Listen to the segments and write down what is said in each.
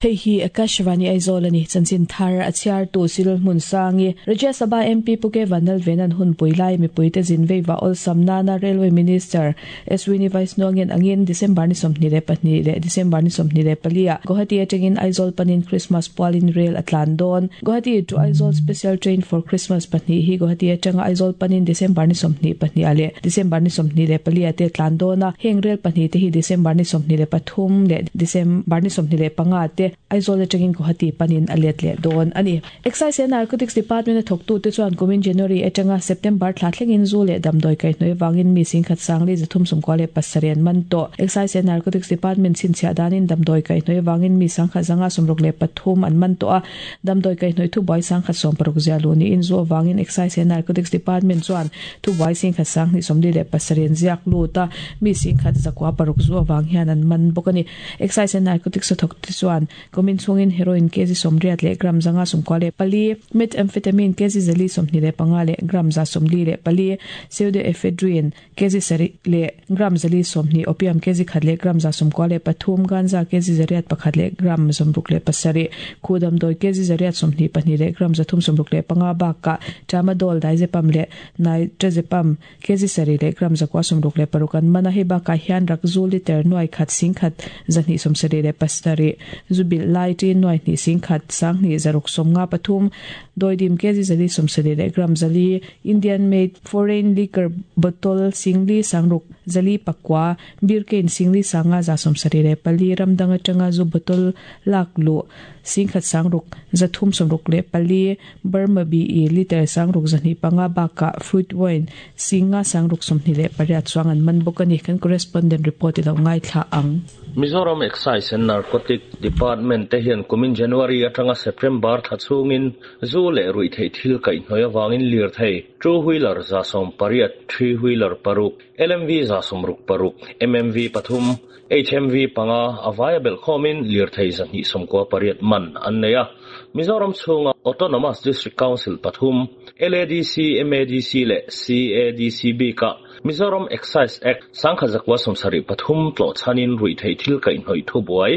Hei hi Akashvani Aizawl a ni. Chanchin thar a chhiartu Cyril Hmunsangi, Rajya Sabha MP Pu K Vanlalvena'n hunpui lai mipuite zin veiva awlsam nana Railway Minister Ashwini Vaishnaw-ngen angin December ni 22 leh December ni 24 ah Guwahati atangin Aizawl panin Christmas pualin rel a tlan dawn. Guwahati to Aizawl Special Train for Christmas pahnih hi Guwahati atanga Aizawl panin December ni 22 ah leh December ni 24 ah te tlan dawn a, heng rel pahnih te hi December ni 23 leh December ni 25 te Aizawl atangin Guwahati panin a let leh dawn a ni. Excise and Narcotics Department a thawktute chuan kumin January atanga September thla thlengin zu leh damdawi kaihhnawih avangin mi singkhat sangli 397 an man tawh. Excise and Narcotics Department chhinchhiah danin damdawi kaihhnawih avangin mi sangkhat 563 an man tawh a, damdawi kaihhnawih thubuai sangkhat 60 ziah luh niin zu avangin Excise and Narcotics Department chuan Thubuai singkhat 2027 an ziak lut a, mi singkhat 906 zu avang hian an man bawk a ni. Excise and Narcotics a thawk te chuan kumin chhungin heroin kg 80 leh gram 594, methamphetamine kg 425 leh gram 144, pseudoephedrine kg 7 leh gram 420, opium kg 1 leh gram 93, ganja kg 101 leh gram 67, khuh damdawi kg 822 leh gram 365 bakah tramadol, diazepam leh Nitrazepam, kg 7 leh gram 966 an man a, hei bakah hian rakzu liter nuai khat singkhat 277, zu bilh lai ṭin nuai hnih singkhat sanghnih zaruk sawmnga pathum, dawidim kg 170 leh gram 400, Indian made foreign liquor bottle singli sangruk 409, beer cane singli sanga 74, ram dang atanga zu bottle lak luh singkhat sangruk 364, Burma BE liter sangruk 205 bakah fruit wine singa sangruk 28 chuang an man bawk a ni, kan correspondent report i lo ngaithla ang. Mizoram Excise and Narcotic Department te hian kumin January atanga September thla chhungin zu leh ruihtheih thil kaihhnawih avangin lirthei, two wheeler 180, three wheeler paruk, LMV 66, MMV pathum, HMV panga a vaia belh khawmin lirthei 298 man an nei a. Mizoram chhunga Autonomous District Council pathum, LADC, MADC leh CADC bikah Mizoram Excise Act 1973 tlawh chhanin ruihtheih thil kaihhnawih thubuai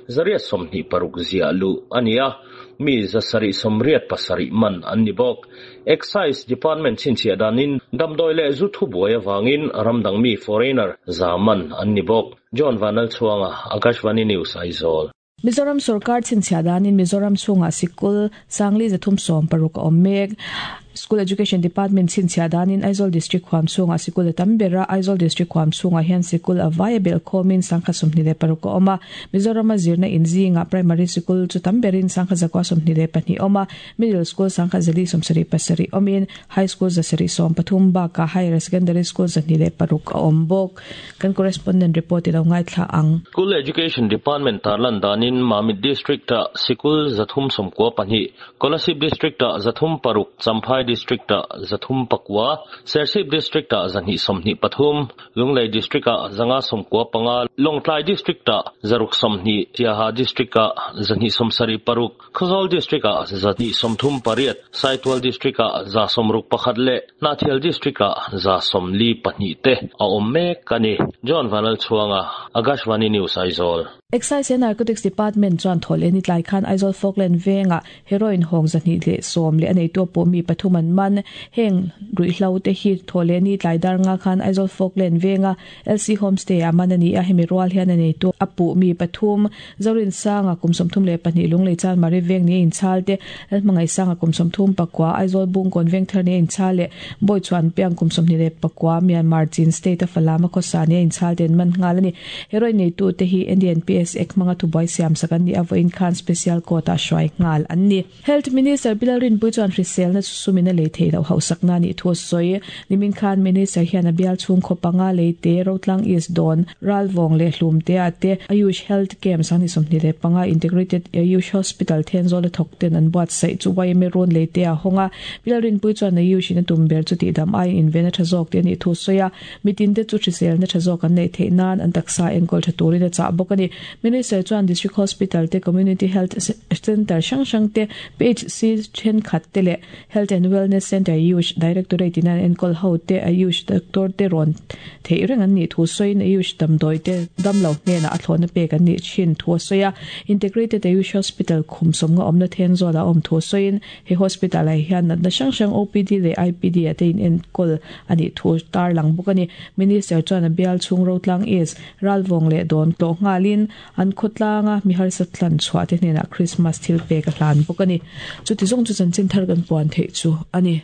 126 ziah luh a ni a, mi 787 man an ni bawk. Excise Department chhinchhiah danin damdawi leh zu thubuai avangin ramdang mi, foreigner, za man an ni bawk. John Vanlalchhuanga, Akashvani News, Aizawl. Mizoram sorkar chhinchhiah danin Mizoram chhungah sikul sangli 316 a awm mek. School Education Department chhinchhiah danin Aizawl District huam chhungah sikul a tam ber a, Aizawl District huam chhungah hian sikul a vai a belh khawmin 126 a awm a. Mizorama zirna in zingah Primary sikul chu tam berin 1,122 awm a, Middle School 1,077 awmin High School 713 bakah Higher Secondary School 206 a awm bawk. Kan correspondent report i lo ngaithla ang. School Education Department tarlan danin Mamit District-ah sikul 392, Kolasib District-ah 306, Champhai District-ah 309, Serchhip District-ah 223, Lunglei District-ah 595, Lawngtlai District-ah 620, Siaha District-ah 276, Khawzawl District-ah 238, Saitual District-ah 61 leh Hnahthial District-ah 42 te a awm mek a ni. John Vanlalchhuanga, Akashvani News, Aizawl. Excise and Narcotics Department chuan thaw leh ni tlai khan Aizawl Falkland vengah heroin hawng 210 leh a neitu a pawh mi pathum an man. Heng ruihhlo te hi thaw leh ni tlai dar nga khan Aizawl Falkland venga LC Homestay ah man a ni a, hemi rual hian a neitu a puh mi pathum Zorinsanga kum 32 Lunglei Chanmari veng ni a inchhal te, Lalhmangaihsanga kum 39 Aizawl Bungkawn Vengthar ni a inchhal leh Bawichhuanpiang kum 29 Myanmar Chin State a Falam a khawsa ni a inchhal te an man nghal a ni. Heroin neitu te hi NDNPS Act hmanga thubuai siam sak an ni a, vawiin khan Special Court ah hruai nghal an ni. Health Minister Bilal Rinpui chuan hriselna chu sumin a lei theih loh hauhsakna a nih thu a sawi. Nimin khan Minister hian a bial chhung khaw panga leite, Rotlang East Dawn, Ralvawng leh Hlumtea te Ayush Health Camp 2025 Integrated Ayush Hospital Thenzawl a thawk ten an buatsaih chu YMA rawn leite a hawng a. Bilal Rinpui chuan Ayush in a tum ber chu tihdam aiin inven a tha zawk tih a nih thu a sawi a. Mitin te chu hriselna tha zawk an neih theih nan an taksa enkawl tha turin a chah bawk a ni. Minister chuan District Hospital te, Community Health Centre hrang hrang te, PHC thenkhat te leh Health and Wellness Centre Ayush Directorate in an enkawl ho te Ayush doctor te rawn theih reng an nih thu sawiin Ayush damdawi te damlo hnenah a thlawhna pek an nih thin thu a sawi a. Integrated Ayush Hospital khum sawmnga awmna Thenzawl ah a awm thu sawiin he hospital ah hian natna hrang hrang OPD leh IPD ah te inenkawl a nih thu tarlang bawk a ni. Minister chuan a bial chhung Rotlang East, Ralvawng leh Dawn tlawh nghalin an khawtlanga mi harsa tlan chhuah te hnenah Christmas thil pek a hlan bawk a ni. Chuti zawng chu chanchin thar kan puan theih chu a ni.